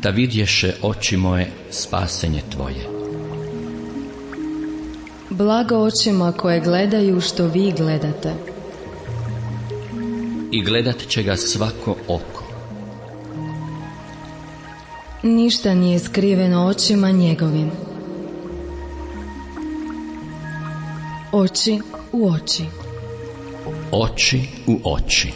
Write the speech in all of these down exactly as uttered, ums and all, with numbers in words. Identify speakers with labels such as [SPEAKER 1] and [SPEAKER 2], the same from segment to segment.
[SPEAKER 1] da vidješe oči moje spasenje tvoje.
[SPEAKER 2] Blago očima koje gledaju što vi gledate.
[SPEAKER 1] I gledat će ga svako oko.
[SPEAKER 2] Ništa nije skriveno očima njegovim. Oči u oči.
[SPEAKER 1] Oči u oči.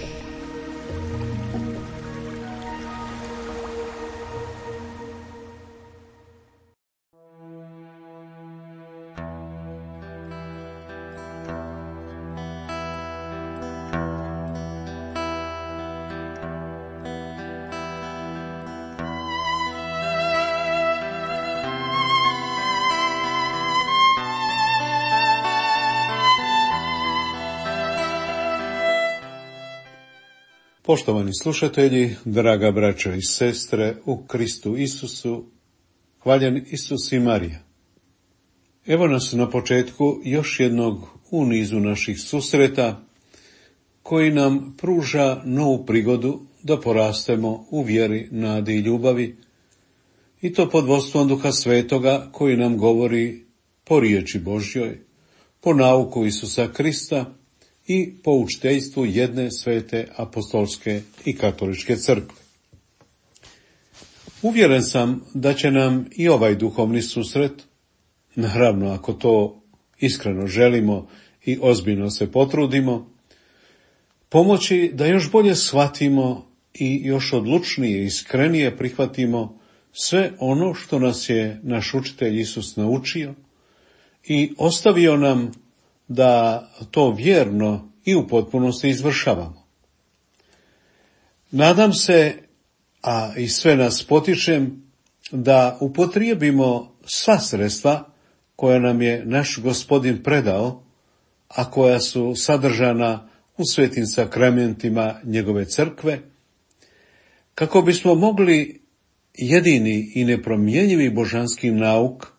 [SPEAKER 3] Poštovani slušatelji, draga braćo i sestre u Kristu Isusu, hvaljen Isus i Marija. Evo nas na početku još jednog u nizu naših susreta koji nam pruža novu prigodu da porastemo u vjeri, nadi i ljubavi, i to pod vodstvom Duha Svetoga koji nam govori po riječi Božjoj, po nauku Isusa Krista i po učiteljstvu jedne svete apostolske i katoličke crkve. Uvjeren sam da će nam i ovaj duhovni susret, naravno ako to iskreno želimo i ozbiljno se potrudimo, pomoći da još bolje shvatimo i još odlučnije i iskrenije prihvatimo sve ono što nas je naš učitelj Isus naučio i ostavio nam da to vjerno i u potpunosti izvršavamo. Nadam se, a i sve nas potičem, da upotrijebimo sva sredstva koja nam je naš Gospodin predao, a koja su sadržana u svetim sakramentima njegove crkve, kako bismo mogli jedini i nepromjenjivi božanski nauk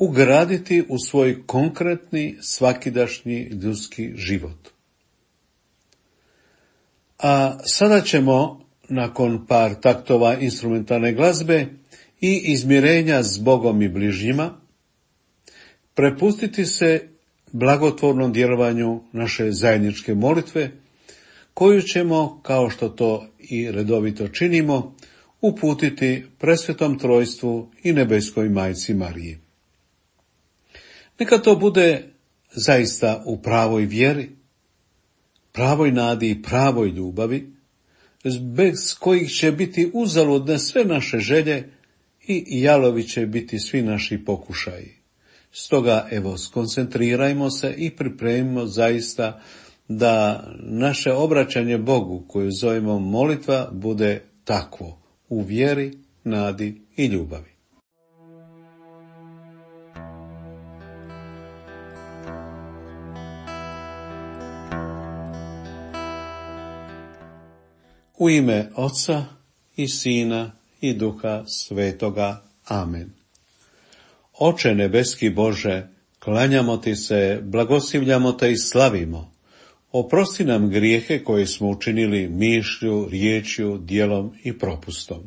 [SPEAKER 3] ugraditi u svoj konkretni, svakidašnji ljudski život. A sada ćemo, nakon par taktova instrumentalne glazbe i izmirenja s Bogom i bližnjima, prepustiti se blagotvornom djelovanju naše zajedničke molitve, koju ćemo, kao što to i redovito činimo, uputiti presvetom trojstvu i nebeskoj majci Mariji. Neka to bude zaista u pravoj vjeri, pravoj nadi i pravoj ljubavi, bez kojih će biti uzaludne sve naše želje i jalovi će biti svi naši pokušaji. Stoga, evo, skoncentrirajmo se i pripremimo zaista da naše obraćanje Bogu, koju zovemo molitva, bude takvo, u vjeri, nadi i ljubavi. U ime Oca i Sina i Duha Svetoga. Amen. Oče nebeski Bože, klanjamo ti se, blagoslivljamo te i slavimo. Oprosti nam grijehe koje smo učinili mišlju, riječju, djelom i propustom.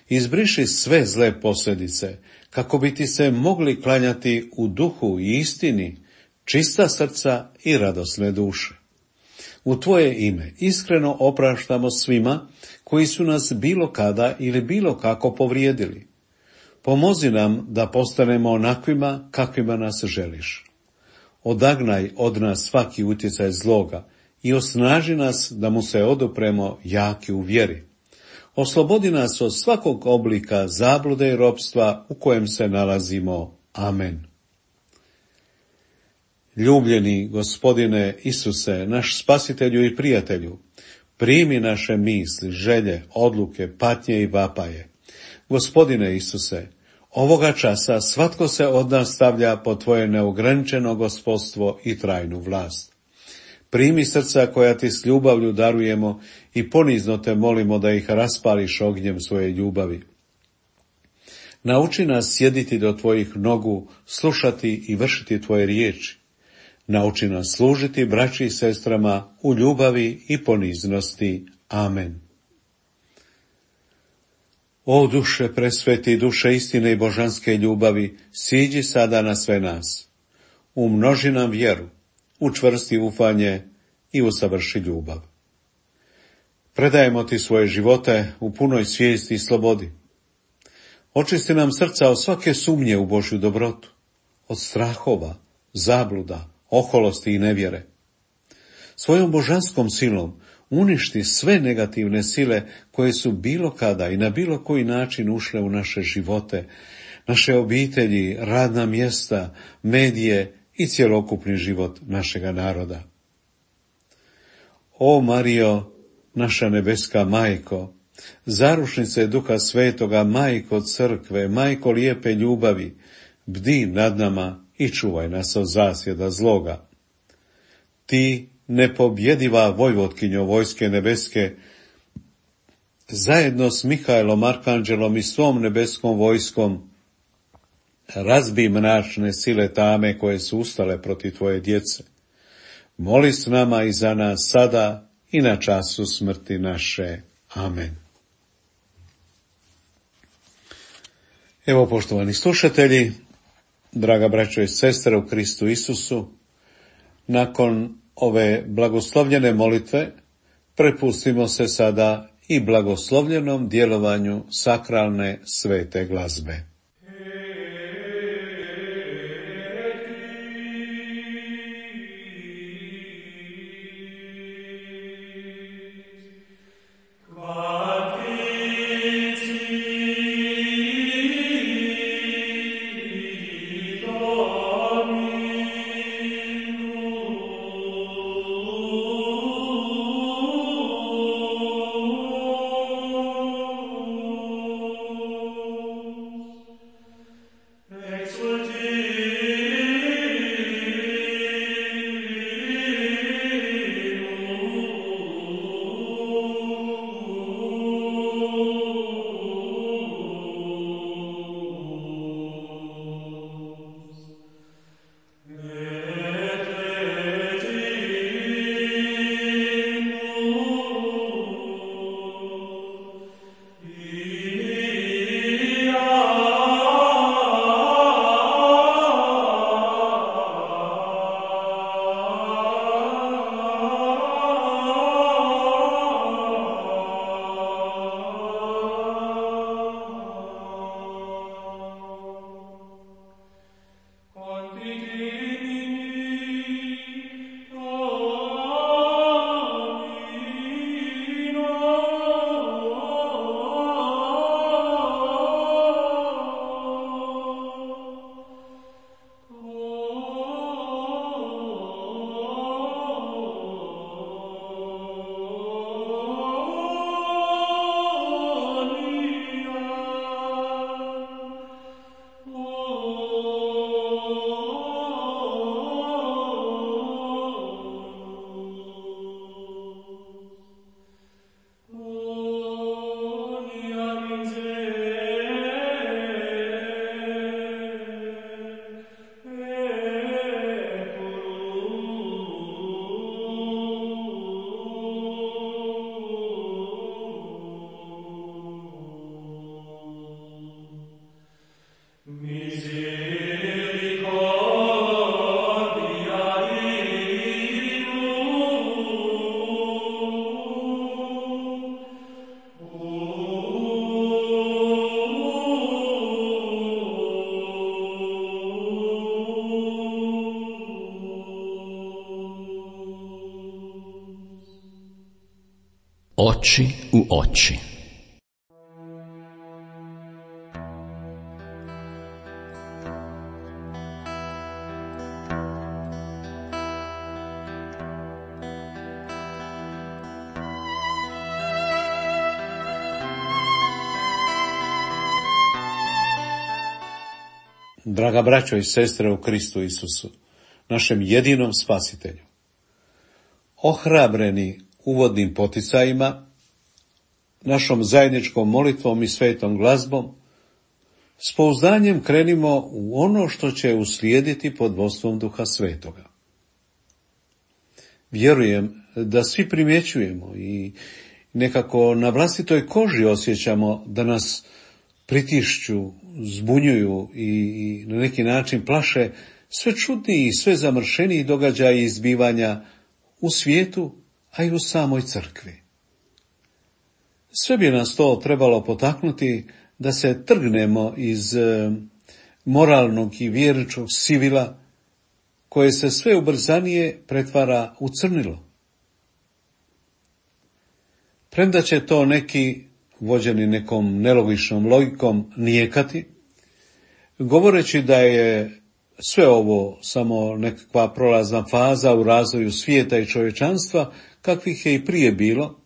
[SPEAKER 3] Izbriši sve zle posljedice, kako bi ti se mogli klanjati u duhu i istini, čista srca i radosne duše. U tvoje ime iskreno opraštamo svima koji su nas bilo kada ili bilo kako povrijedili. Pomozi nam da postanemo onakvima kakvima nas želiš. Odagnaj od nas svaki utjecaj zloga i osnaži nas da mu se odupremo jaki u vjeri. Oslobodi nas od svakog oblika zablude i ropstva u kojem se nalazimo. Amen. Ljubljeni Gospodine Isuse, naš spasitelju i prijatelju, primi naše misli, želje, odluke, patnje i vapaje. Gospodine Isuse, ovoga časa svatko se od nas stavlja pod tvoje neograničeno gospodstvo i trajnu vlast. Primi srca koja ti s ljubavlju darujemo i ponizno te molimo da ih raspališ ognjem svoje ljubavi. Nauči nas sjediti do tvojih nogu, slušati i vršiti tvoje riječi. Nauči nas služiti braći i sestrama u ljubavi i poniznosti. Amen. O duše presveti, duše istine i božanske ljubavi, siđi sada na sve nas. Umnoži nam vjeru, učvrsti ufanje i usavrši ljubav. Predajemo ti svoje živote u punoj svijesti i slobodi. Očisti nam srca od svake sumnje u Božju dobrotu, od strahova, zabluda, oholosti i nevjere. Svojom božanskom silom uništi sve negativne sile koje su bilo kada i na bilo koji način ušle u naše živote, naše obitelji, radna mjesta, medije i cjelokupni život našega naroda. O Marijo, naša nebeska majko, zarušnice Duha Svetoga, majko crkve, majko lijepe ljubavi, bdi nad nama i čuvaj nas od zasjeda zloga. Ti, nepobjediva vojvotkinjo vojske nebeske, zajedno s Mihajlom Arkanđelom i svom nebeskom vojskom, razbi mračne sile tame koje su ustale protiv tvoje djece. Moli s nama i za nas sada i na času smrti naše. Amen. Evo, poštovani slušatelji, draga braćo i sestre u Kristu Isusu, nakon ove blagoslovljene molitve prepustimo se sada i blagoslovljenom djelovanju sakralne svete glazbe.
[SPEAKER 1] Oči u oči.
[SPEAKER 3] Draga braćo i sestre u Kristu Isusu, našem jedinom spasitelju, ohrabreni uvodnim poticajima, našom zajedničkom molitvom i svetom glazbom, s pouzdanjem krenimo u ono što će uslijediti pod vodstvom Duha Svetoga. Vjerujem da svi primjećujemo i nekako na vlastitoj koži osjećamo da nas pritišću, zbunjuju i, i na neki način plaše sve čudniji i sve zamršeniji događaji i zbivanja u svijetu, a i u samoj crkvi. Sve bi nas to trebalo potaknuti da se trgnemo iz e, moralnog i vjerničkog sivila koje se sve ubrzanije pretvara u crnilo. Premda će to neki, vođeni nekom nelogičnom logikom, nijekati, govoreći da je sve ovo samo nekakva prolazna faza u razvoju svijeta i čovječanstva, kakvih je i prije bilo,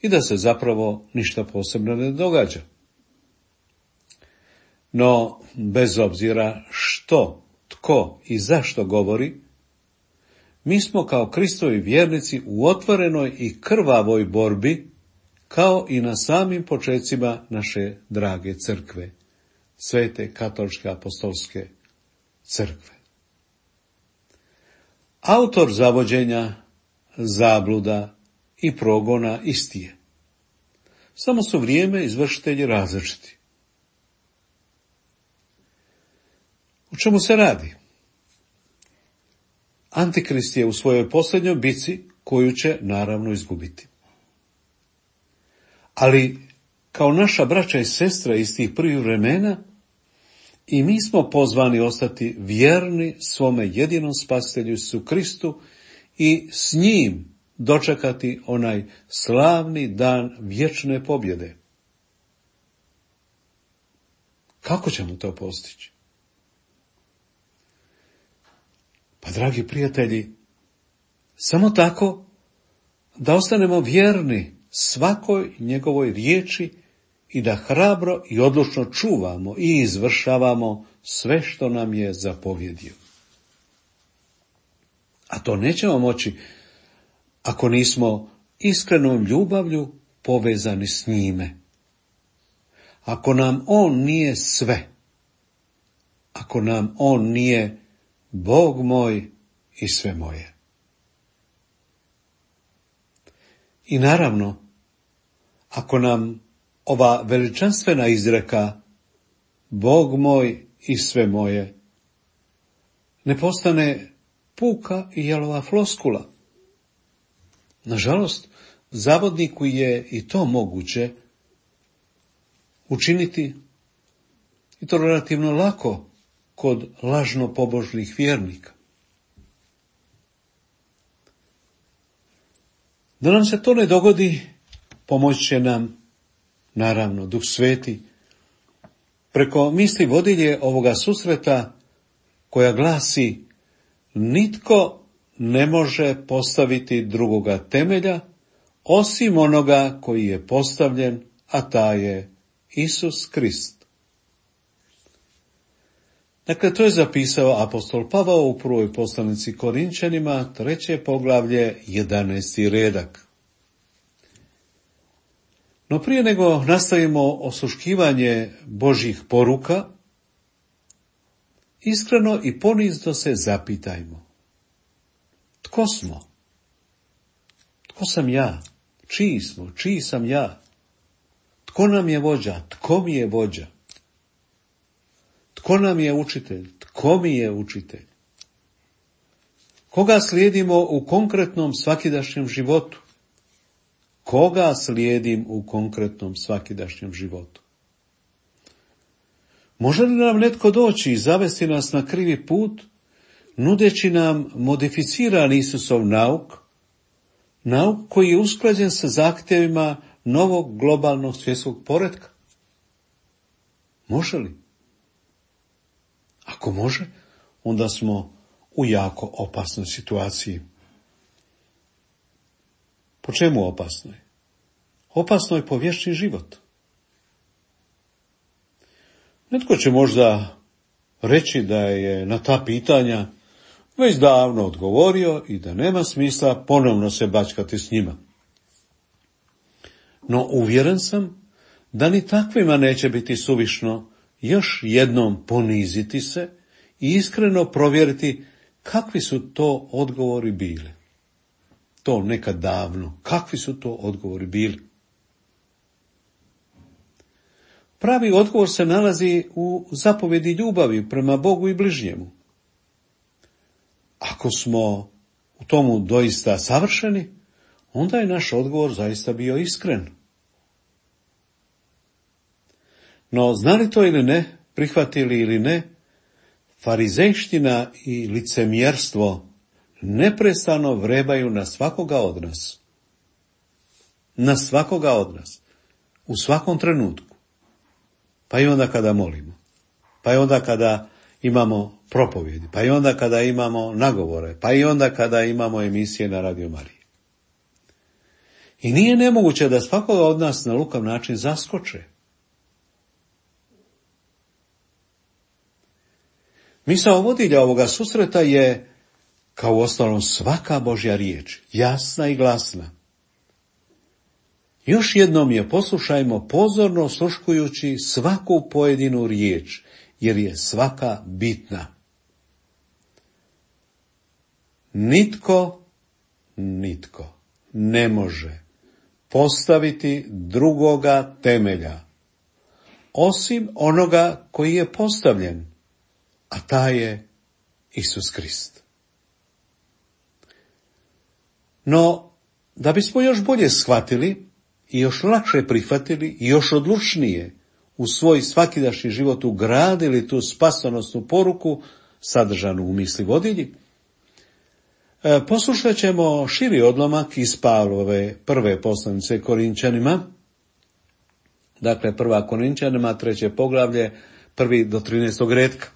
[SPEAKER 3] i da se zapravo ništa posebno ne događa. No, bez obzira što, tko i zašto govori, mi smo kao Kristovi vjernici u otvorenoj i krvavoj borbi, kao i na samim počecima naše drage crkve, Svete katoličke apostolske crkve. Autor zavođenja, zabluda i progona isti je. Samo su vrijeme izvršitelji različiti. O čemu se radi? Antikrist je u svojoj posljednjoj bitci, koju će naravno izgubiti. Ali, kao naša braća i sestra iz tih prvih vremena, i mi smo pozvani ostati vjerni svome jedinom spasitelju Isusu Kristu i s njim dočekati onaj slavni dan vječne pobjede. Kako ćemo to postići? Pa, dragi prijatelji, samo tako da ostanemo vjerni svakoj njegovoj riječi i da hrabro i odlučno čuvamo i izvršavamo sve što nam je zapovjedio. A to nećemo moći ako nismo iskrenom ljubavlju povezani s njime. Ako nam on nije sve, ako nam on nije Bog moj i sve moje. I naravno, ako nam ova veličanstvena izreka Bog moj i sve moje ne postane puka i jalova floskula. Nažalost, zavodniku je i to moguće učiniti, i to relativno lako, kod lažno pobožnih vjernika. Da nam se to ne dogodi, pomoći će nam, naravno, Duh Sveti, preko misli vodilje ovoga susreta, koja glasi: nitko ne može postaviti drugoga temelja, osim onoga koji je postavljen, a taj je Isus Krist. Dakle, to je zapisao apostol Pavao u prvoj poslanici Korinčanima, treće poglavlje, jedanaesti redak. No prije nego nastavimo osluškivanje Božjih poruka, iskreno i ponizno se zapitajmo: tko smo? Tko sam ja? Čiji smo? Čiji sam ja? Tko nam je vođa? Tko mi je vođa? Tko nam je učitelj? Tko mi je učitelj? Koga slijedimo u konkretnom svakidašnjem životu? Koga slijedim u konkretnom svakidašnjem životu? Može li nam netko doći i zavesti nas na krivi put, nudeći nam modificiran Isusov nauk, nauk koji je usklađen sa zahtjevima novog globalnog svjetskog poretka? Može li? Ako može, onda smo u jako opasnoj situaciji. Po čemu opasnoj? Opasno je po vječni život. Netko će možda reći da je na ta pitanja već davno odgovorio i da nema smisla ponovno se bačkati s njima. No uvjeren sam da ni takvima neće biti suvišno još jednom poniziti se i iskreno provjeriti kakvi su to odgovori bili. To nekad davno, kakvi su to odgovori bili. Pravi odgovor se nalazi u zapovjedi ljubavi prema Bogu i bližnjemu. Ako smo u tomu doista savršeni, onda je naš odgovor zaista bio iskren. No, znali to ili ne, prihvatili ili ne, farizejština i licemjerstvo neprestano vrebaju na svakoga od nas. Na svakoga od nas. U svakom trenutku. Pa i onda kada molimo. Pa i onda kada imamo propovjedi. Pa i onda kada imamo nagovore. Pa i onda kada imamo emisije na Radio Mariji. I nije nemoguće da svakoga od nas na lukav način zaskoče. Misao vodilja ovoga susreta je, kao uostalom svaka Božja riječ, jasna i glasna. Još jednom je poslušajmo pozorno osluškujući svaku pojedinu riječ, jer je svaka bitna. Nitko, nitko ne može postaviti drugoga temelja, osim onoga koji je postavljen, a taj je Isus Krist. No, da bismo još bolje shvatili i još lakše prihvatili i još odlučnije u svoj svakidašnji život ugradili tu spasonosnu poruku sadržanu u misli vodilji, poslušat ćemo širi odlomak iz Pavlove prve poslanice Korinčanima, dakle prva Korinčanima, treće poglavlje, prvi do trinaestog retka.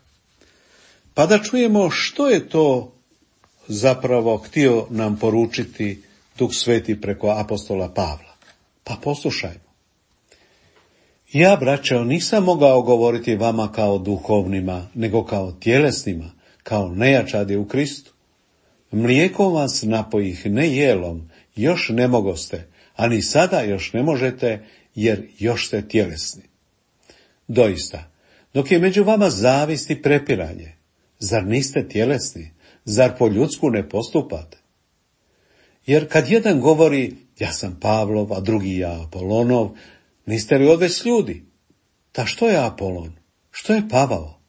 [SPEAKER 3] Pa da čujemo što je to zapravo htio nam poručiti Duh Sveti preko apostola Pavla. Pa poslušajmo. Ja, braćo, nisam mogao govoriti vama kao duhovnima, nego kao tjelesnima, kao nejačadi u Kristu. Mlijekom vas napojih, ne jelom, još ne mogoste, a ni sada još ne možete, jer još ste tjelesni. Doista, dok je među vama zavist i prepiranje, zar niste tjelesni? Zar po ljudsku ne postupate? Jer kad jedan govori, ja sam Pavlov, a drugi ja Apolonov, niste li odveć ljudi? Ta što je Apolon? Što je Pavao?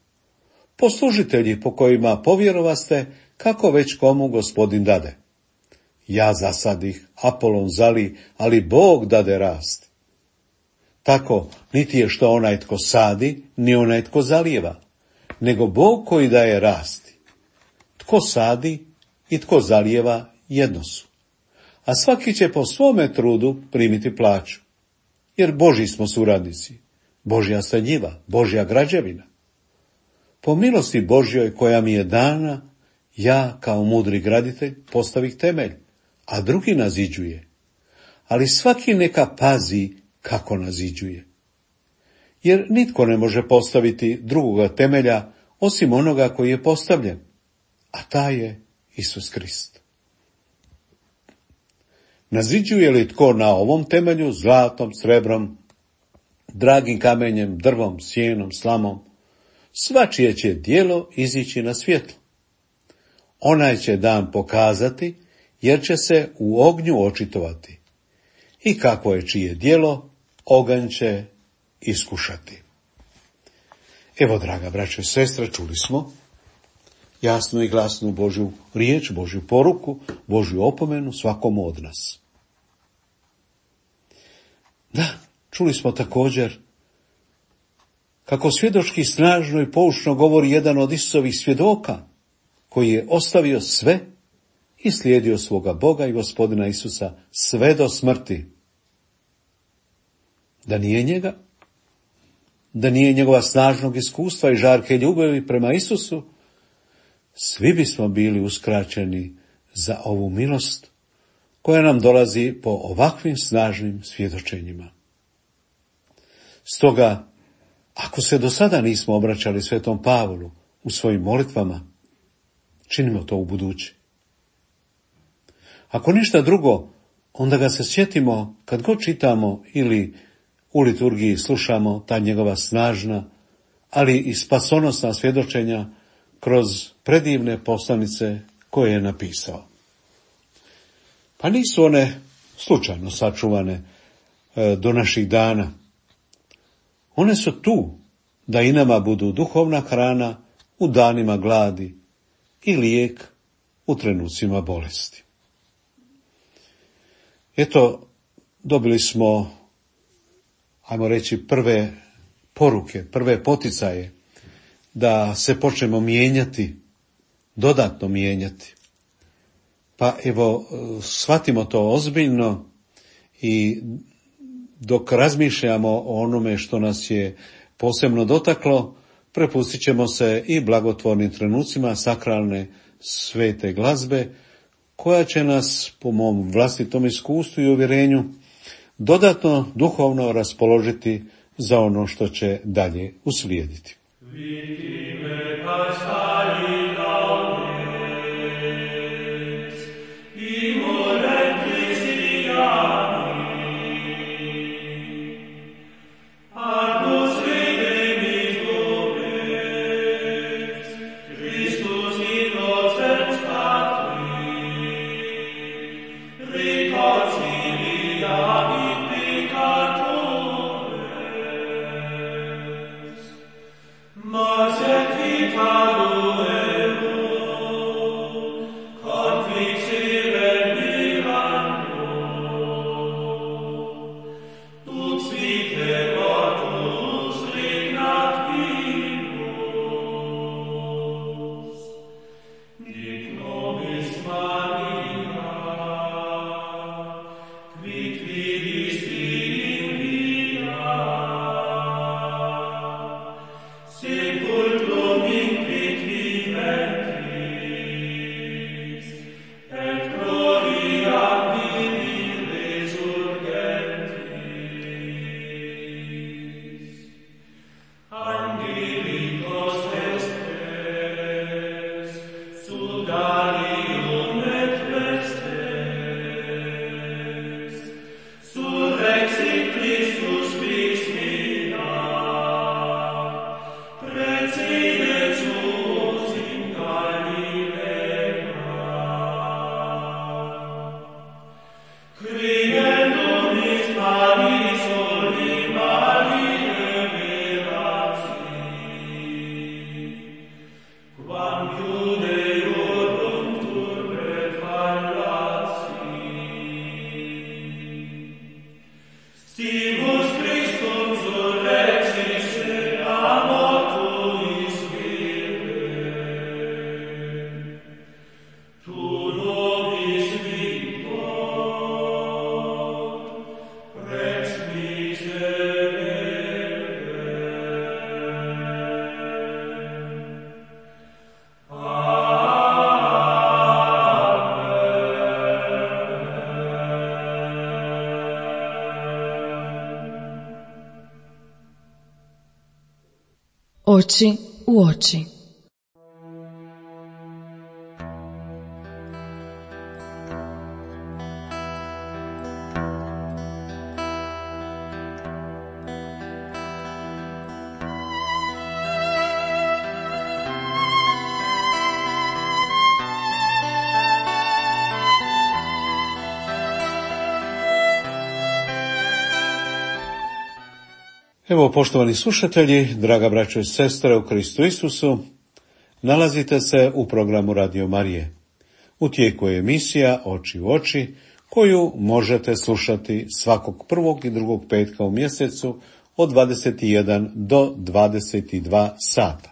[SPEAKER 3] Poslužitelji po kojima povjerovaste, kako već komu Gospodin dade. Ja zasadih, Apolon zali, ali Bog dade rast. Tako, niti je što onaj tko sadi, ni onaj tko zalijeva, nego Bog koji daje rasti. Tko sadi i tko zalijeva jedno su, a svaki će po svome trudu primiti plaću, jer Božji smo suradnici, Božja ste njiva, Božja građevina. Po milosti Božjoj koja mi je dana, ja kao mudri graditelj postavih temelj, a drugi naziđuje, ali svaki neka pazi kako naziđuje. Jer nitko ne može postaviti drugoga temelja osim onoga koji je postavljen, a taj je Isus Krist. Naziđuje li tko na ovom temelju zlatom, srebrom, dragim kamenjem, drvom, sjenom, slamom, svačije će djelo izići na svjetlo. Onaj će dan pokazati, jer će se u ognju očitovati. I kakvo je čije djelo, oganj će iskušati. Evo, draga braćo i sestre, čuli smo jasnu i glasnu Božju riječ, Božju poruku, Božju opomenu svakomu od nas. Da, čuli smo također kako svjedočki snažno i poučno govori jedan od Isusovih svjedoka, koji je ostavio sve i slijedio svoga Boga i Gospodina Isusa sve do smrti. Da nije njega, da nije njegova snažnog iskustva i žarke ljubavi prema Isusu, svi bismo bili uskraćeni za ovu milost koja nam dolazi po ovakvim snažnim svjedočenjima. Stoga, ako se do sada nismo obraćali svetom Pavlu u svojim molitvama, činimo to u buduće. Ako ništa drugo, onda ga se sjetimo kad god čitamo ili u liturgiji slušamo ta njegova snažna, ali i spasonosna svjedočenja kroz predivne poslanice koje je napisao. Pa nisu one slučajno sačuvane do naših dana. One su tu da i nama budu duhovna hrana u danima gladi i lijek u trenucima bolesti. Eto, dobili smo, ajmo reći, prve poruke, prve poticaje da se počnemo mijenjati, dodatno mijenjati. Pa evo, shvatimo to ozbiljno i dok razmišljamo o onome što nas je posebno dotaklo, prepustit ćemo se i blagotvornim trenucima sakralne svete glazbe, koja će nas, po mom vlastitom iskustvu i uvjerenju, dodatno duhovno raspoložiti za ono što će dalje uslijediti.
[SPEAKER 2] Oči u oči.
[SPEAKER 3] Evo, poštovani slušatelji, draga braćo i sestre u Kristu Isusu, nalazite se u programu Radio Marije. U tijeku je emisija Oči u oči, koju možete slušati svakog prvog i drugog petka u mjesecu od dvadeset jedan do dvadeset dva sata.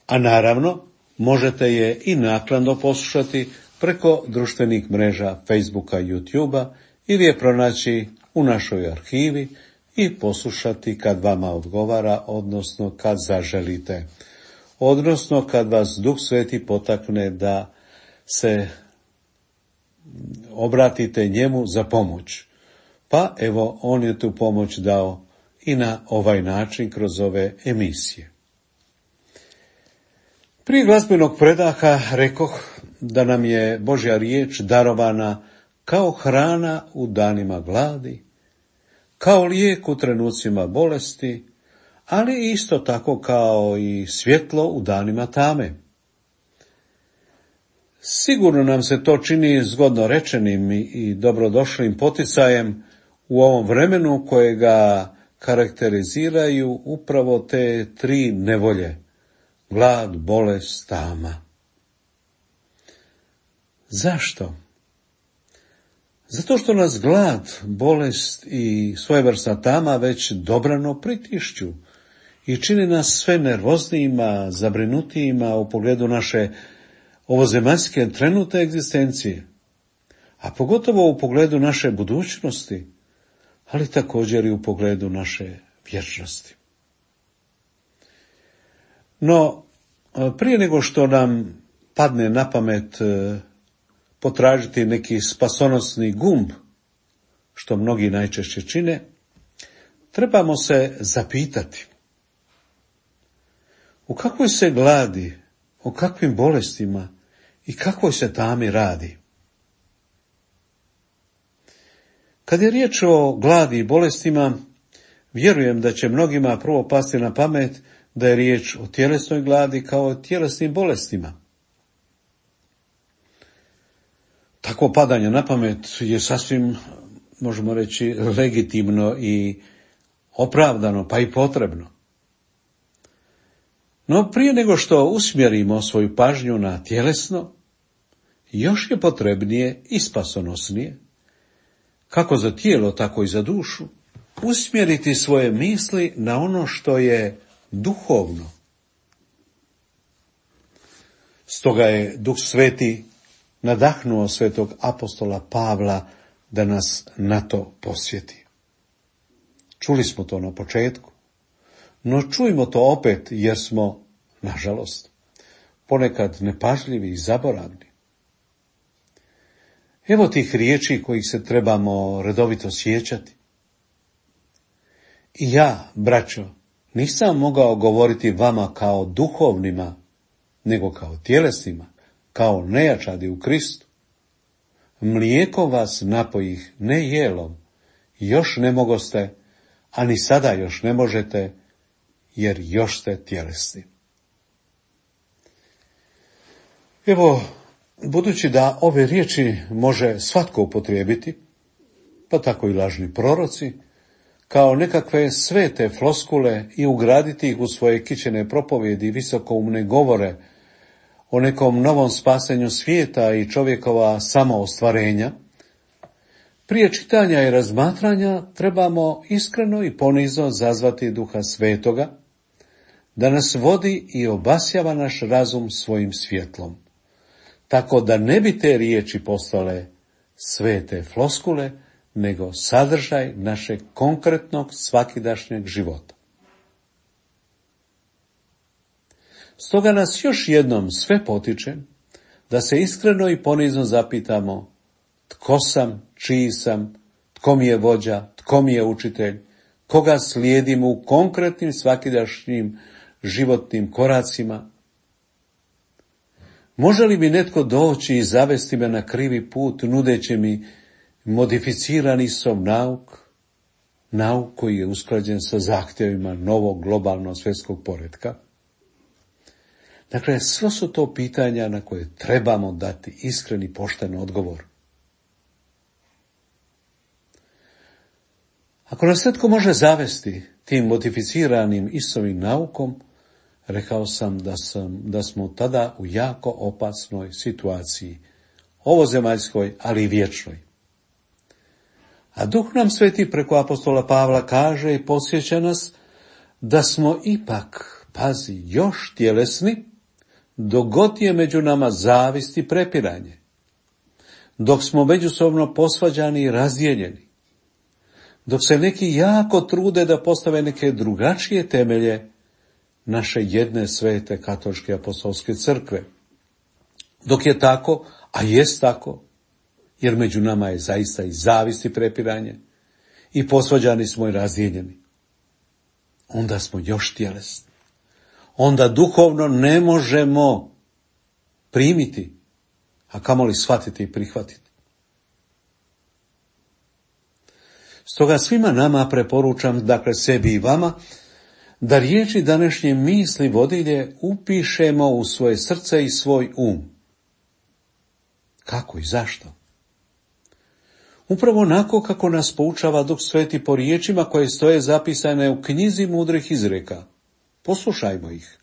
[SPEAKER 3] A naravno, možete je i naknadno poslušati preko društvenih mreža Facebooka i YouTubea ili je pronaći u našoj arhivi i poslušati kad vama odgovara, odnosno kad zaželite, odnosno kad vas Duh Sveti potakne da se obratite njemu za pomoć. Pa evo, on je tu pomoć dao i na ovaj način kroz ove emisije. Prije glazbenog predaha rekoh da nam je Božja riječ darovana kao hrana u danima gladi, kao lijek u trenucima bolesti, ali isto tako kao i svjetlo u danima tame. Sigurno nam se to čini zgodno rečenim i dobrodošlim poticajem u ovom vremenu kojega karakteriziraju upravo te tri nevolje: glad, bolest, tama. Zašto? Zato što nas glad, bolest i svojevrsna tama već dobrano pritišću i čini nas sve nervoznijima, zabrinutijima u pogledu naše ovozemaljske trenutne egzistencije, a pogotovo u pogledu naše budućnosti, ali također i u pogledu naše vječnosti. No, prije nego što nam padne na pamet potražiti neki spasonosni gumb, što mnogi najčešće čine, trebamo se zapitati: u kakvoj se gladi, o kakvim bolestima i kakvoj se tami radi? Kad je riječ o gladi i bolestima, vjerujem da će mnogima prvo pasti na pamet da je riječ o tjelesnoj gladi kao o tjelesnim bolestima. Takvo padanje na pamet je sasvim, možemo reći, legitimno i opravdano, pa i potrebno. No prije nego što usmjerimo svoju pažnju na tjelesno, još je potrebnije i spasonosnije, kako za tijelo, tako i za dušu, usmjeriti svoje misli na ono što je duhovno. Stoga je Duh Sveti nadahnuo svetog apostola Pavla da nas na to posjeti. Čuli smo to na početku, no čujmo to opet jer smo, nažalost, ponekad nepažljivi i zaboravni. Evo tih riječi kojih se trebamo redovito sjećati. I ja, braćo, nisam mogao govoriti vama kao duhovnima, nego kao tjelesnima, kao nejačadi u Kristu. Mlijeko vas napojih, ne jelom, još ne mogoste, a ni sada još ne možete, jer još ste tjelesni. Evo, budući da ove riječi može svatko upotrijebiti, pa tako i lažni proroci, kao nekakve svete floskule i ugraditi ih u svoje kićene propovjedi i visokoumne govore o nekom novom spasenju svijeta i čovjekova samoostvarenja, prije čitanja i razmatranja trebamo iskreno i ponizno zazvati Duha Svetoga, da nas vodi i obasjava naš razum svojim svjetlom, tako da ne bi te riječi postale svete floskule, nego sadržaj našeg konkretnog svakidašnjeg života. Stoga nas još jednom sve potičem da se iskreno i ponizno zapitamo tko sam, čiji sam, tko mi je vođa, tko mi je učitelj, koga slijedim u konkretnim svakidašnjim životnim koracima. Može li mi netko doći i zavesti me na krivi put, nudeći mi modificirani som nauk, nauk koji je usklađen sa zahtjevima novog globalnog svjetskog poretka? Dakle, sve su to pitanja na koje trebamo dati iskreni, pošten odgovor. Ako nas netko može zavesti tim modificiranim Isusovim naukom, rekao sam da, sam da smo tada u jako opasnoj situaciji, ovozemaljskoj, ali i vječnoj. A Duh nam Sveti preko apostola Pavla kaže i podsjeća nas da smo ipak, pazi, još tjelesni, dok god je među nama zavist i prepiranje, dok smo međusobno posvađani i razdijeljeni, dok se neki jako trude da postave neke drugačije temelje naše jedne svete katoličke apostolske crkve. Dok je tako, a jest tako, jer među nama je zaista i zavist i prepiranje, i posvađani smo i razdijeljeni, onda smo još tjelesni. Onda duhovno ne možemo primiti, a kamoli shvatiti i prihvatiti. Stoga svima nama preporučam, dakle sebi i vama, da riječi današnje misli vodilje upišemo u svoje srce i svoj um. Kako i zašto? Upravo onako kako nas poučava Duh Sveti po riječima koje stoje zapisane u knjizi mudrih izreka. Poslušajmo ih.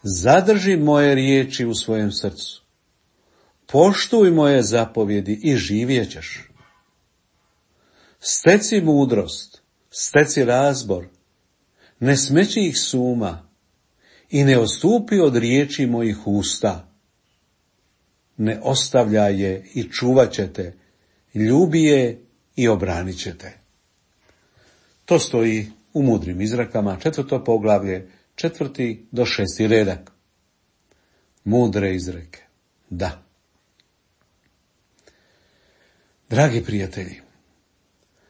[SPEAKER 3] Zadrži moje riječi u svojem srcu. Poštuj moje zapovjedi i živjet ćeš. Steci mudrost, steci razbor, ne smeći ih s uma i ne odstupi od riječi mojih usta. Ne ostavljaj je i čuvat ćete, ljubi je i obranit ćete. To stoji u mudrim izrekama, četvrto poglavlje, četvrti do šesti redak. Mudre izreke, da. Dragi prijatelji,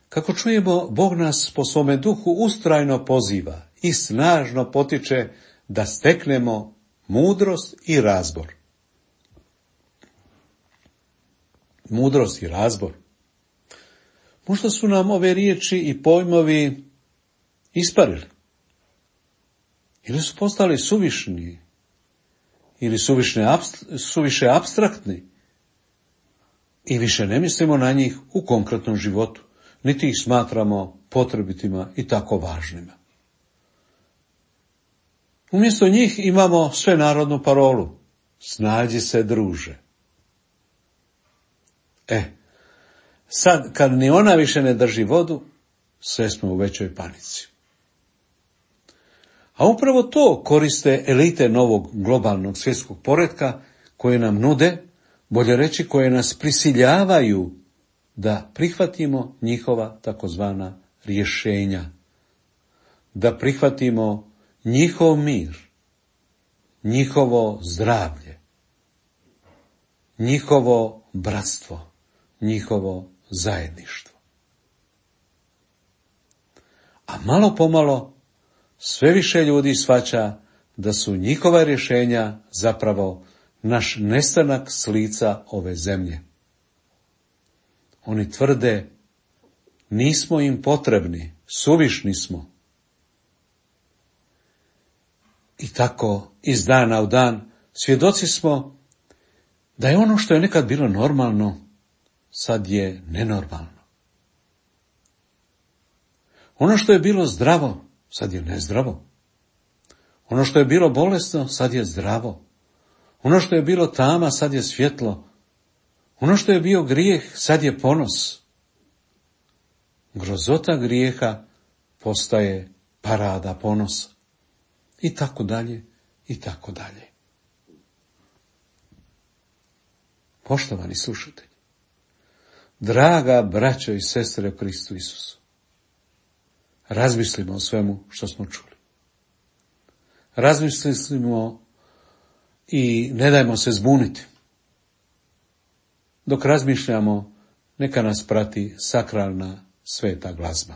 [SPEAKER 3] kako čujemo, Bog nas po svome duhu ustrajno poziva i snažno potiče da steknemo mudrost i razbor. Mudrost i razbor. Možda su nam ove riječi i pojmovi isparili. Ili su postali suvišni, ili suvišne, suviše apstraktni. I više ne mislimo na njih u konkretnom životu, niti ih smatramo potrebitima i tako važnima. Umjesto njih imamo svenarodnu parolu. Snađi se, druže. E, sad kad ni ona više ne drži vodu, sve smo u većoj panici. A upravo to koriste elite novog globalnog svjetskog poretka koje nam nude, bolje reći koje nas prisiljavaju da prihvatimo njihova takozvana rješenja, da prihvatimo njihov mir, njihovo zdravlje, njihovo bratstvo, njihovo zajedništvo. A malo pomalo sve više ljudi shvaća da su njihova rješenja zapravo naš nestanak s lica ove zemlje. Oni tvrde, nismo im potrebni, suvišni smo. I tako iz dana u dan svjedoci smo da je ono što je nekad bilo normalno, sad je nenormalno. Ono što je bilo zdravo, sad je nezdravo. Ono što je bilo bolesno, sad je zdravo. Ono što je bilo tama, sad je svjetlo. Ono što je bio grijeh, sad je ponos. Grozota grijeha postaje parada ponosa. I tako dalje, i tako dalje. Poštovani slušatelji, draga braćo i sestre u Kristu Isusu, razmislimo o svemu što smo čuli. Razmislimo i ne dajmo se zbuniti. Dok razmišljamo, neka nas prati sakralna sveta glazba.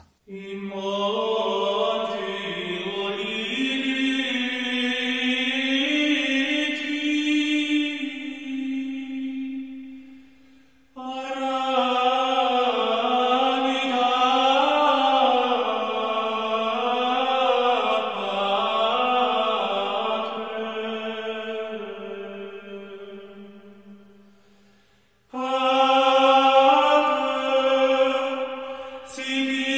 [SPEAKER 4] Civili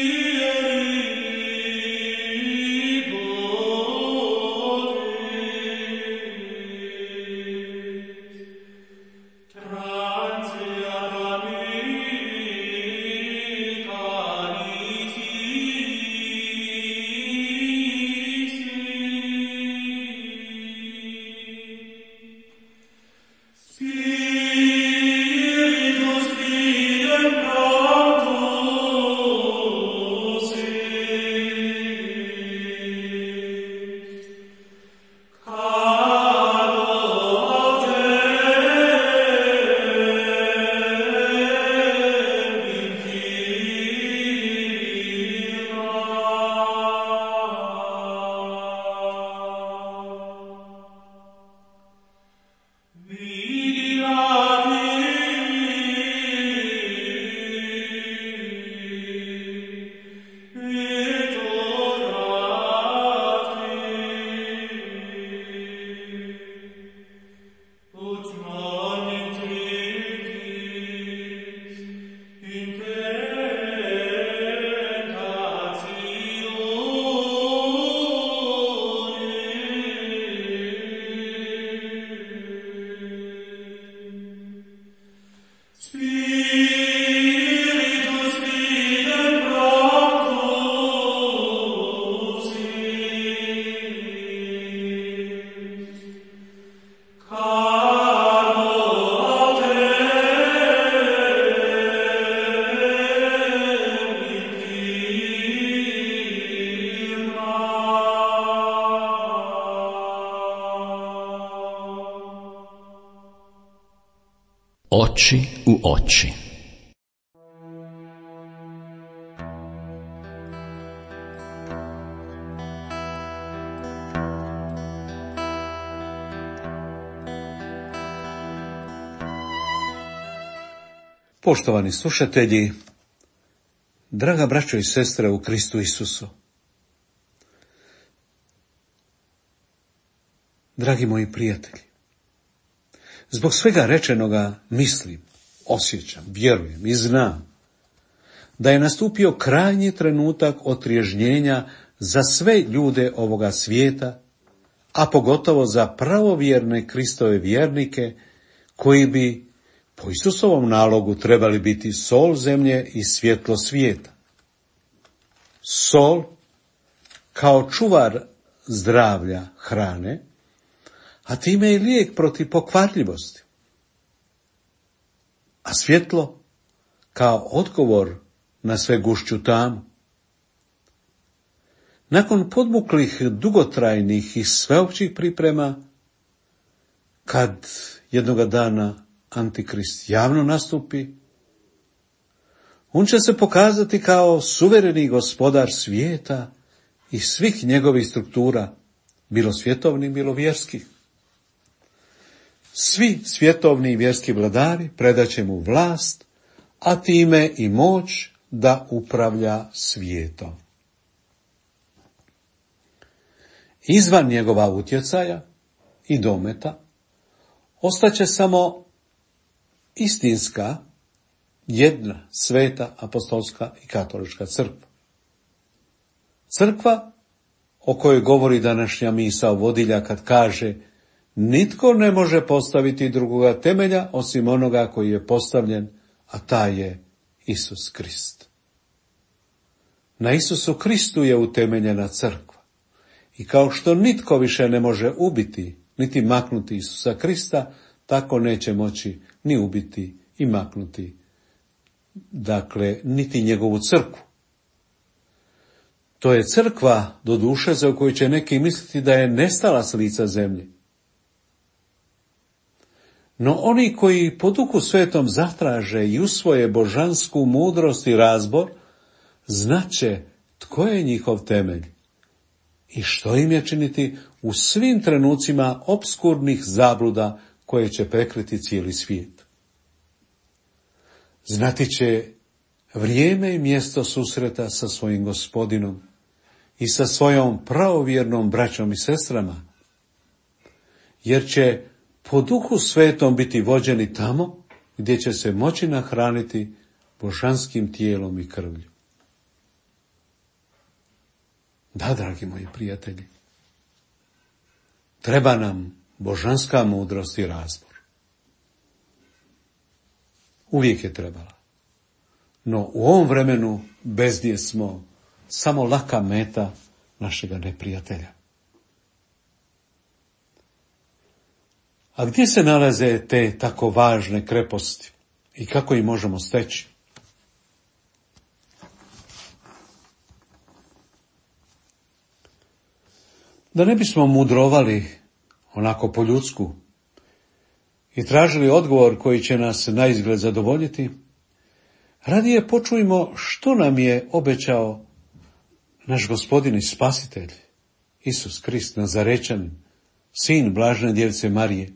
[SPEAKER 1] Oči u oči.
[SPEAKER 3] Poštovani slušatelji, draga braćo i sestre u Kristu Isusu, dragi moji prijatelji, zbog svega rečenoga mislim, osjećam, vjerujem i znam da je nastupio krajnji trenutak otriježnjenja za sve ljude ovoga svijeta, a pogotovo za pravovjerne Kristove vjernike koji bi po Isusovom nalogu trebali biti sol zemlje i svjetlo svijeta. Sol kao čuvar zdravlja hrane, a time i lijek protiv pokvarljivosti. A svjetlo kao odgovor na sve gušću tamu. Nakon podmuklih, dugotrajnih i sveopćih priprema, kad jednoga dana Antikrist javno nastupi, on će se pokazati kao suvereni gospodar svijeta i svih njegovih struktura, bilo svjetovnih, bilo vjerskih. Svi svjetovni i vjerski vladari predaće mu vlast, a time i moć da upravlja svijetom. Izvan njegova utjecaja i dometa ostaće samo istinska, jedna, sveta, apostolska i katolička crkva. Crkva o kojoj govori današnja misao vodilja kad kaže: nitko ne može postaviti drugoga temelja osim onoga koji je postavljen, a taj je Isus Krist. Na Isusu Kristu je utemeljena crkva. I kao što nitko više ne može ubiti, niti maknuti Isusa Krista, tako neće moći ni ubiti i maknuti, dakle, niti njegovu crkvu. To je crkva, doduše, za koju će neki misliti da je nestala s lica zemlje. No oni koji po Duhu Svetom zatraže i usvoje božansku mudrost i razbor, znaće tko je njihov temelj i što im je činiti u svim trenucima opskurnih zabluda koje će prekriti cijeli svijet. Znati će vrijeme i mjesto susreta sa svojim Gospodinom i sa svojom pravovjernom braćom i sestrama, jer će po Duhu Svetom biti vođeni tamo gdje će se moći nahraniti božanskim tijelom i krvlju. Da, dragi moji prijatelji, treba nam božanska mudrost i razbor. Uvijek je trebala. No u ovom vremenu bez nje smo samo laka meta našega neprijatelja. A gdje se nalaze te tako važne kreposti i kako ih možemo steći? Da ne bismo mudrovali onako po ljudsku i tražili odgovor koji će nas naizgled zadovoljiti, radije počujmo što nam je obećao naš Gospodin i Spasitelj, Isus Krist, Nazarečanin, sin blažene djevice Marije,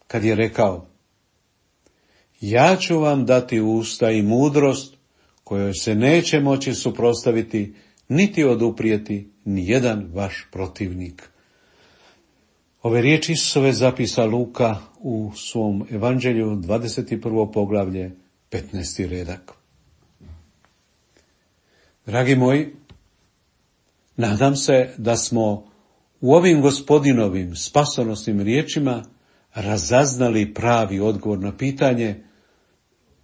[SPEAKER 3] kad je rekao: ja ću vam dati usta i mudrost kojoj se neće moći suprotstaviti niti oduprijeti ni jedan vaš protivnik. Ove riječi Isusove zapisa Luka u svom evanđelju, dvadeset prvo poglavlje, petnaesti redak. Dragi moji, nadam se da smo u ovim Gospodinovim spasonosnim riječima razaznali pravi odgovor na pitanje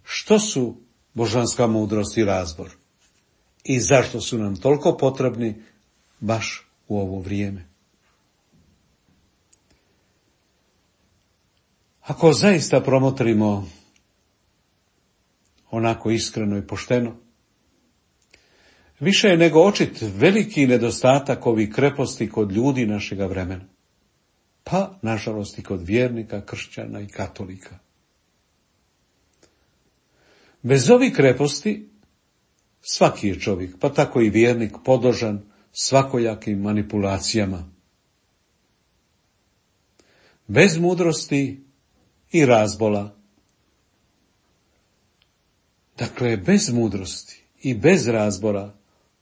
[SPEAKER 3] što su božanska mudrost i razbor i zašto su nam toliko potrebni baš u ovo vrijeme. Ako zaista promotrimo onako iskreno i pošteno, više je nego očit veliki nedostatak ovih kreposti kod ljudi našega vremena, pa nažalost i kod vjernika, kršćana i katolika. Bez ovih kreposti svaki je čovjek, pa tako i vjernik, podložan svakojakim manipulacijama. Bez mudrosti i razbola. Dakle, bez mudrosti i bez razbora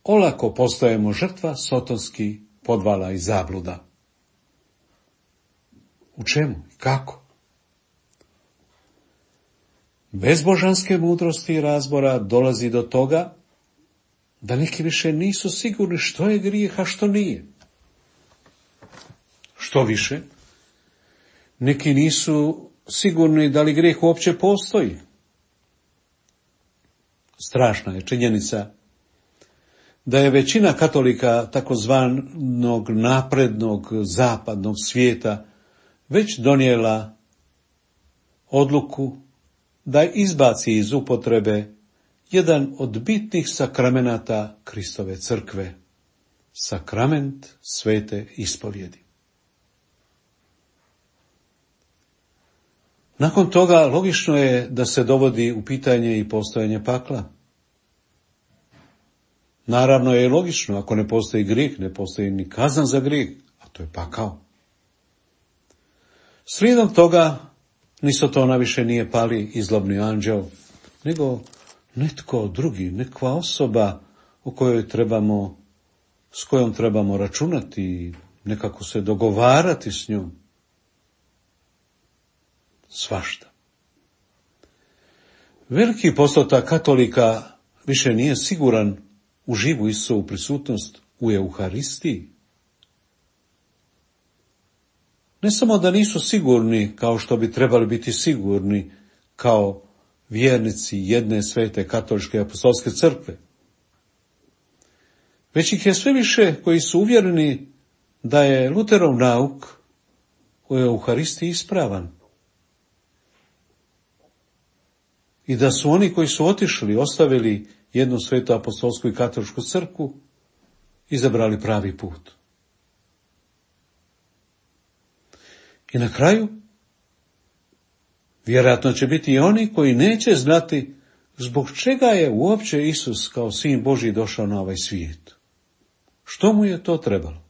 [SPEAKER 3] olako postajemo žrtva sotonskih podvala i zabluda. U čemu? Kako? Bez božanske mudrosti i razbora dolazi do toga da neki više nisu sigurni što je grijeh, a što nije. Što više, neki nisu sigurni da li grijeh uopće postoji. Strašna je činjenica da je većina katolika takozvanog naprednog zapadnog svijeta već donijela odluku da izbaci iz upotrebe jedan od bitnih sakramenata Kristove crkve, sakrament svete ispovjedi. Nakon toga logično je da se dovodi u pitanje i postojanje pakla. Naravno je logično, ako ne postoji grijeh, ne postoji ni kazna za grijeh, a to je pakao. Slijedom toga, ni Sotona više nije pali i zlobni anđeo, nego netko drugi, nekva osoba o kojoj trebamo, s kojom trebamo računati i nekako se dogovarati s njom. Svašta. Veliki postotak katolika više nije siguran u živu Isusovu prisutnost u Euharistiji. Ne samo da nisu sigurni kao što bi trebali biti sigurni kao vjernici jedne svete katoličke apostolske crkve, već ih je sve više koji su uvjereni da je Luterov nauk u Euharistiji ispravan i da su oni koji su otišli, ostavili jednu svetu apostolsku i katoličku crkvu, izabrali pravi put. I na kraju, vjerojatno će biti i oni koji neće znati zbog čega je uopće Isus kao sin Božji došao na ovaj svijet. Što mu je to trebalo?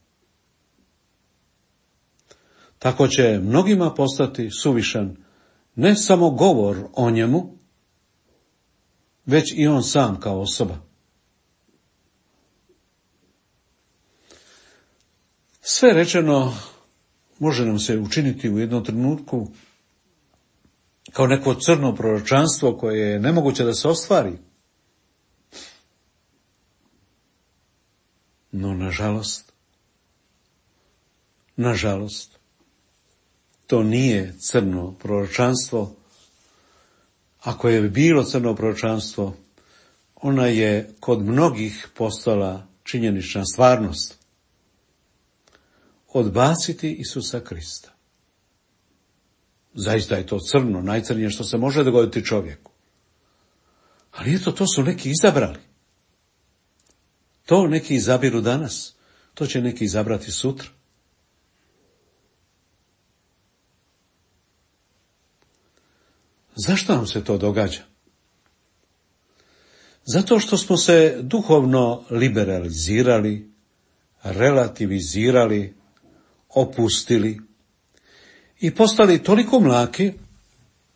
[SPEAKER 3] Tako će mnogima postati suvišan ne samo govor o njemu, već i on sam kao osoba. Sve rečeno može nam se učiniti u jednom trenutku kao neko crno proročanstvo koje je nemoguće da se ostvari. No, nažalost, nažalost, to nije crno proročanstvo. Ako je bilo crno proročanstvo, ona je kod mnogih postala činjenična stvarnost. Odbaciti Isusa Krista. Zaista je to crno, najcrnije što se može dogoditi čovjeku. Ali eto, to su neki izabrali. To neki izabiru danas, to će neki izabrati sutra. Zašto nam se to događa? Zato što smo se duhovno liberalizirali, relativizirali, opustili i postali toliko mlaki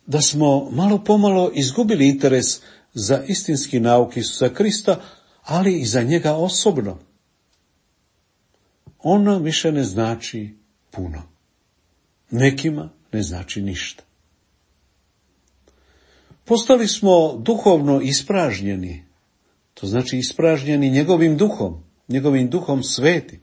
[SPEAKER 3] da smo malo pomalo izgubili interes za istinski nauk Isusa Krista, ali i za njega osobno. On nam više ne znači puno. Nekima ne znači ništa. Postali smo duhovno ispražnjeni, to znači ispražnjeni njegovim duhom, njegovim duhom svetim.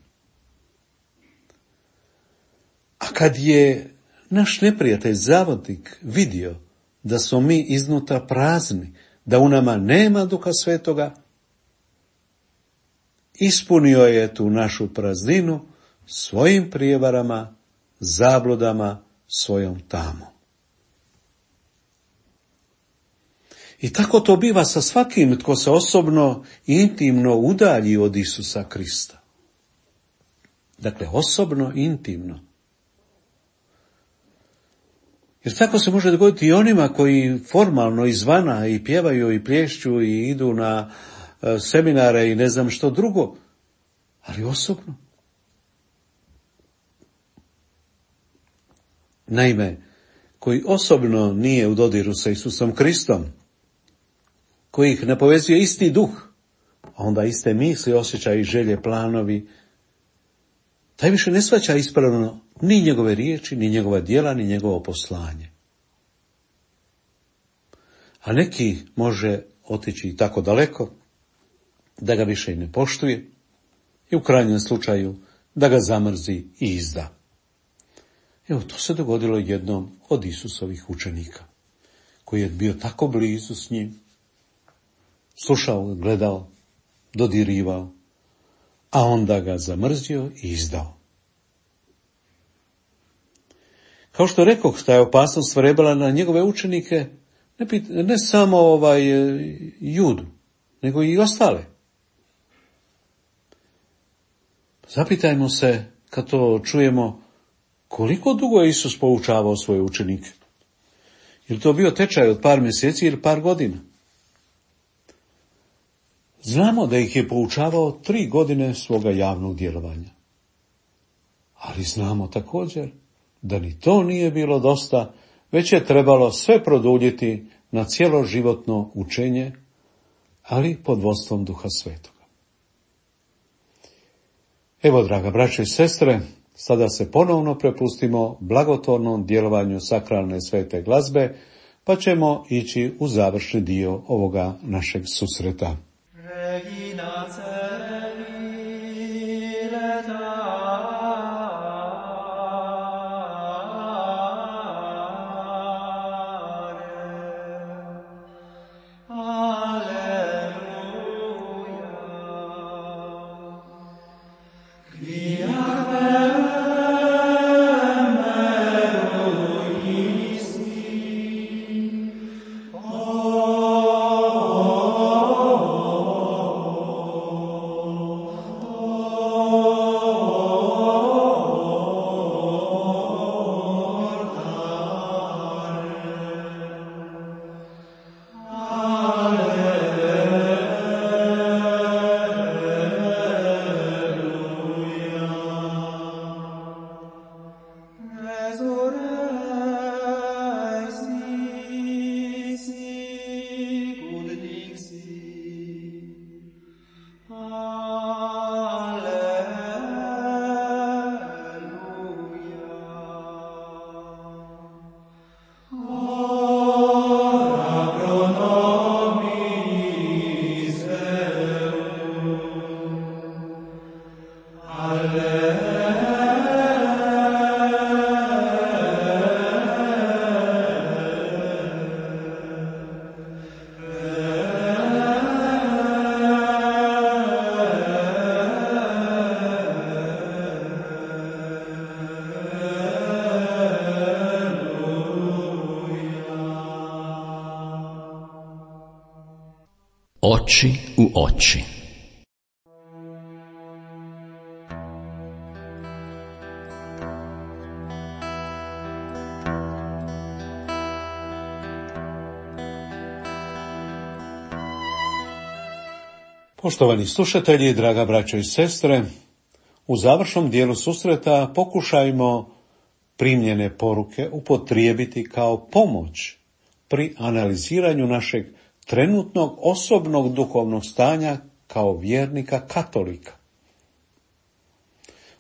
[SPEAKER 3] A kad je naš neprijatelj zavodnik vidio da smo mi iznutra prazni, da u nama nema duha svetoga, ispunio je tu našu prazninu svojim prijevarama, zabludama, svojom tamom. I tako to biva sa svakim tko se osobno i intimno udalji od Isusa Krista. Dakle, osobno i intimno. Jer tako se može dogoditi i onima koji formalno izvana i pjevaju i plješću i idu na e, seminare i ne znam što drugo, ali osobno. Naime, koji osobno nije u dodiru sa Isusom Kristom, koji ih ne povezuje isti duh, a onda iste misli, osjećaji, i želje, planovi, taj više ne shvaća ispravno ni njegove riječi, ni njegova djela, ni njegovo poslanje. A neki može otići i tako daleko da ga više i ne poštuje i u krajnjem slučaju da ga zamrzi i izda. Evo, to se dogodilo jednom od Isusovih učenika, koji je bio tako blizu s njim, slušao, gledao, dodirivao, a onda ga zamrzio i izdao. Kao što rekoh, ta je opasnost vrebala na njegove učenike, ne, pit, ne samo ovaj Judu, nego i ostale. Zapitajmo se, kad to čujemo, koliko dugo je Isus poučavao svoje učenike? Je li to bio tečaj od par mjeseci ili par godina? Znamo da ih je poučavao tri godine svoga javnog djelovanja. Ali znamo također da ni to nije bilo dosta, već je trebalo sve produljiti na cjeloživotno učenje, ali pod vodstvom Duha Svetoga. Evo, draga braćo i sestre, sada se ponovno prepustimo blagotvornom djelovanju sakralne svete glazbe, pa ćemo ići u završni dio ovoga našeg susreta. Regina
[SPEAKER 1] Oči u oči.
[SPEAKER 3] Poštovani slušatelji, draga braćo i sestre, u završnom dijelu susreta pokušajmo primljene poruke upotrijebiti kao pomoć pri analiziranju našeg trenutnog osobnog duhovnog stanja kao vjernika katolika.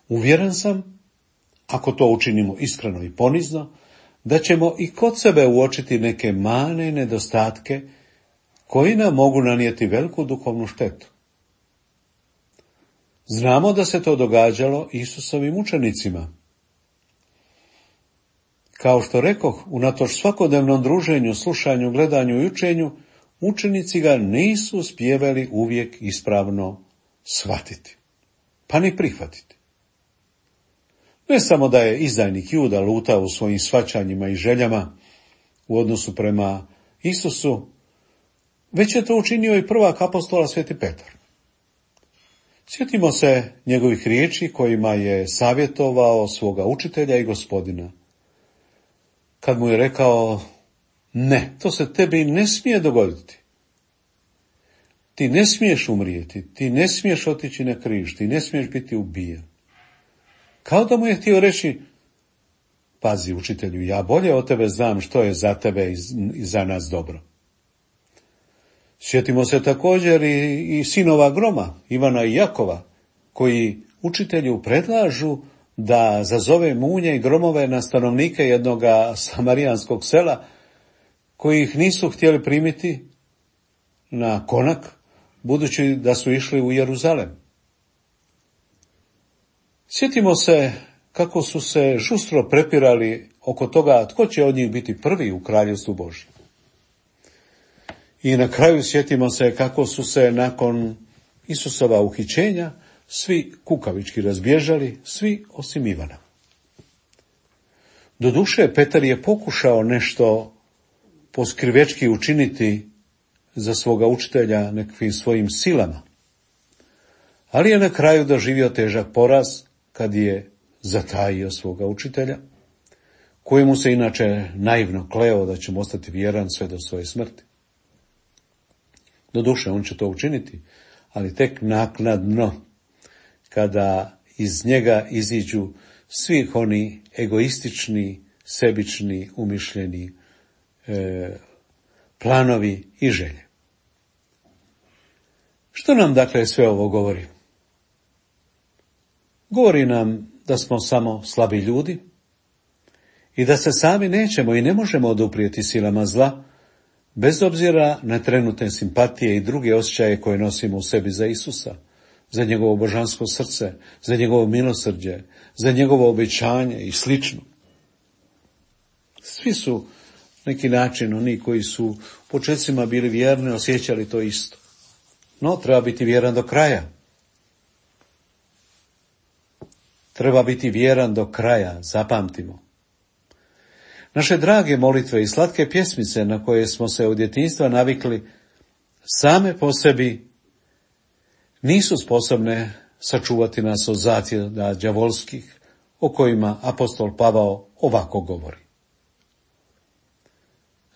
[SPEAKER 3] Uvjeren sam, ako to učinimo iskreno i ponizno, da ćemo i kod sebe uočiti neke mane i nedostatke koji nam mogu nanijeti veliku duhovnu štetu. Znamo da se to događalo Isusovim učenicima. Kao što rekoh, unatoč svakodnevnom druženju, slušanju, gledanju i učenju, učenici ga nisu uspijevali uvijek ispravno shvatiti, pa ni prihvatiti. Ne samo da je izdajnik Juda lutao u svojim shvaćanjima i željama u odnosu prema Isusu, već je to učinio i prvak apostola Sveti Petar. Sjetimo se njegovih riječi kojima je savjetovao svoga učitelja i gospodina. kad mu je rekao, ne, to se tebi ne smije dogoditi. Ti ne smiješ umrijeti, ti ne smiješ otići na križ, ti ne smiješ biti ubijen. Kao da mu je htio reći, pazi učitelju, ja bolje od tebe znam što je za tebe i za nas dobro. Sjetimo se također i, i sinova Groma, Ivana i Jakova, koji učitelju predlažu da zazove munje i gromove na stanovnike jednoga samarijanskog sela, koji ih nisu htjeli primiti na konak, budući da su išli u Jeruzalem. Sjetimo se kako su se žustro prepirali oko toga tko će od njih biti prvi u kraljevstvu Božjem. I na kraju sjetimo se kako su se nakon Isusova uhićenja svi kukavički razbježali, svi osim Ivana. Doduše, Petar je pokušao nešto poskrivečki učiniti za svoga učitelja nekakvim svojim silama, ali je na kraju doživio težak poraz kad je zatajio svoga učitelja, kojemu se inače naivno kleo da će mu ostati vjeran sve do svoje smrti. Doduše, on će to učiniti, ali tek naknadno, kada iz njega iziđu svi oni egoistični, sebični, umišljeni e, planovi i želje. Što nam dakle sve ovo govori? Govori nam da smo samo slabi ljudi i da se sami nećemo i ne možemo oduprijeti silama zla, bez obzira na trenutne simpatije i druge osjećaje koje nosimo u sebi za Isusa, za njegovo božansko srce, za njegovo milosrđe, za njegovo obećanje i slično. Svi su neki način oni koji su u početcima bili vjerni, osjećali to isto. No, treba biti vjeran do kraja. Treba biti vjeran do kraja, zapamtimo. Naše drage molitve i slatke pjesmice na koje smo se od djetinjstva navikli same po sebi nisu sposobne sačuvati nas od zatjeda đavolskih o kojima apostol Pavao ovako govori.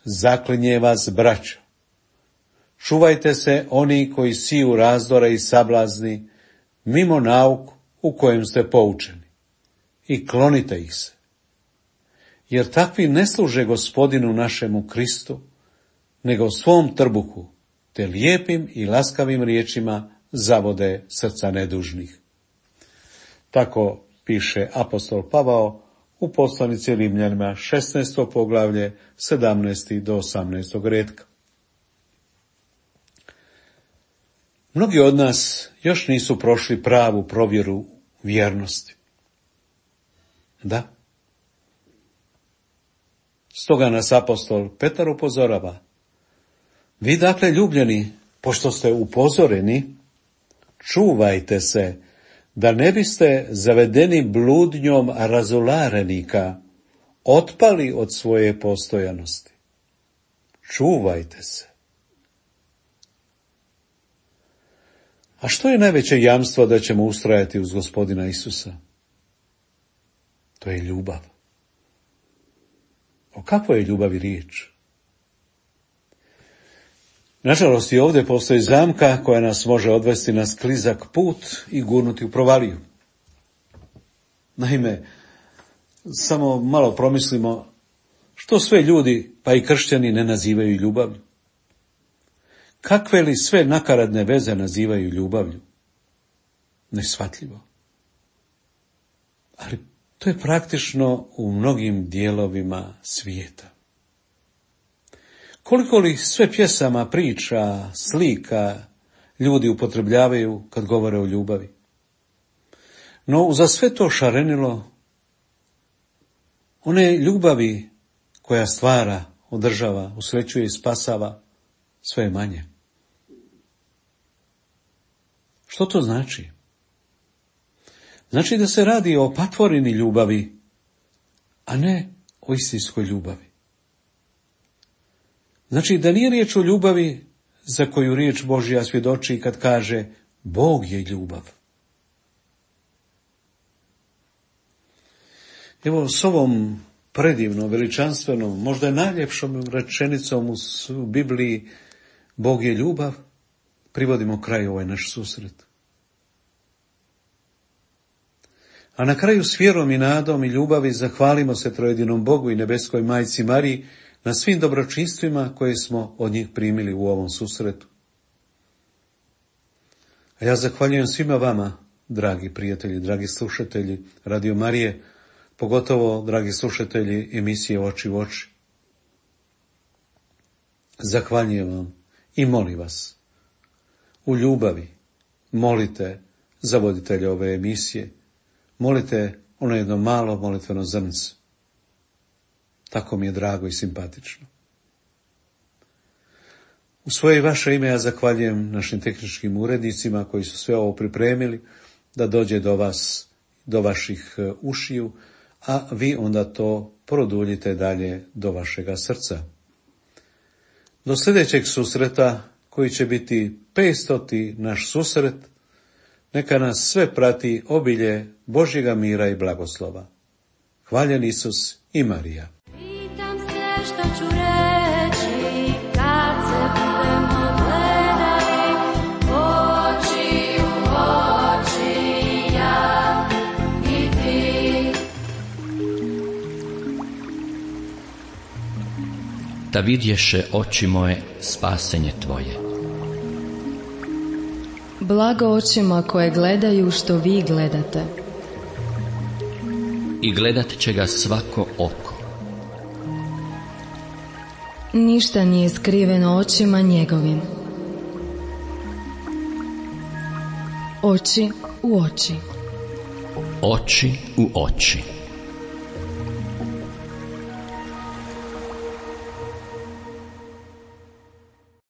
[SPEAKER 3] Zaklinje vas, braćo, čuvajte se oni koji siju razdore i sablazni mimo nauku u kojem ste poučeni i klonite ih se. Jer takvi ne služe Gospodinu našemu Kristu, nego svom trbuhu, te lijepim i laskavim riječima zavode srca nedužnih. Tako piše apostol Pavao u poslanici Rimljanima šesnaesto poglavlje sedamnaesti do osamnaestog retka. Mnogi od nas još nisu prošli pravu provjeru vjernosti. Da. Stoga nas apostol Petar upozorava. Vi dakle, ljubljeni, pošto ste upozoreni, čuvajte se, da ne biste zavedeni bludnjom razularenika otpali od svoje postojanosti. Čuvajte se. A što je najveće jamstvo da ćemo ustrajati uz Gospodina Isusa? To je ljubav. O kakvoj je ljubavi riječ? Nažalost, i ovdje postoji zamka koja nas može odvesti na sklizak put i gurnuti u provaliju. Naime, samo malo promislimo što sve ljudi, pa i kršćani, ne nazivaju ljubavlju. Kakve li sve nakaradne veze nazivaju ljubavlju? Neshvatljivo. Ali to je praktično u mnogim dijelovima svijeta. Koliko li sve pjesama, priča, slika ljudi upotrebljavaju kad govore o ljubavi? No, za sve to šarenilo, one ljubavi koja stvara, održava, usrećuje i spasava, sve je manje. Što to znači? Znači da se radi o patvorini ljubavi, a ne o istinskoj ljubavi. Znači da nije riječ o ljubavi za koju riječ Božja svjedoči kad kaže Bog je ljubav. Evo, s ovom predivnom, veličanstvenom, možda najljepšom rečenicom u Bibliji Bog je ljubav, privodimo kraju ovaj naš susret. A na kraju s vjerom i nadom i ljubavi zahvalimo se trojedinom Bogu i nebeskoj majci Mariji na svim dobročinstvima koje smo od njih primili u ovom susretu. A ja zahvaljujem svima vama, dragi prijatelji, dragi slušatelji Radio Marije, pogotovo dragi slušatelji emisije Oči u oči. Zahvaljujem vam i molim vas, u ljubavi molite za voditelja ove emisije, molite ono jedno malo molitveno zrnce. Tako mi je drago i simpatično. U svoje i vaše ime ja zahvaljujem našim tehničkim urednicima koji su sve ovo pripremili da dođe do vas, do vaših ušiju, a vi onda to produljite dalje do vašega srca. Do sljedećeg susreta, koji će biti petstoti naš susret, neka nas sve prati obilje Božjega mira i blagoslova. Hvaljen Isus i Marija.
[SPEAKER 4] Pitam se što ću reći kad se budemo gledali oči u oči, ja i ti.
[SPEAKER 1] Da vidješe oči moje spasenje tvoje.
[SPEAKER 2] Blago očima koje gledaju što vi gledate.
[SPEAKER 1] I gledat će ga svako oko.
[SPEAKER 2] Ništa nije skriveno očima njegovim. Oči u oči.
[SPEAKER 1] Oči u oči.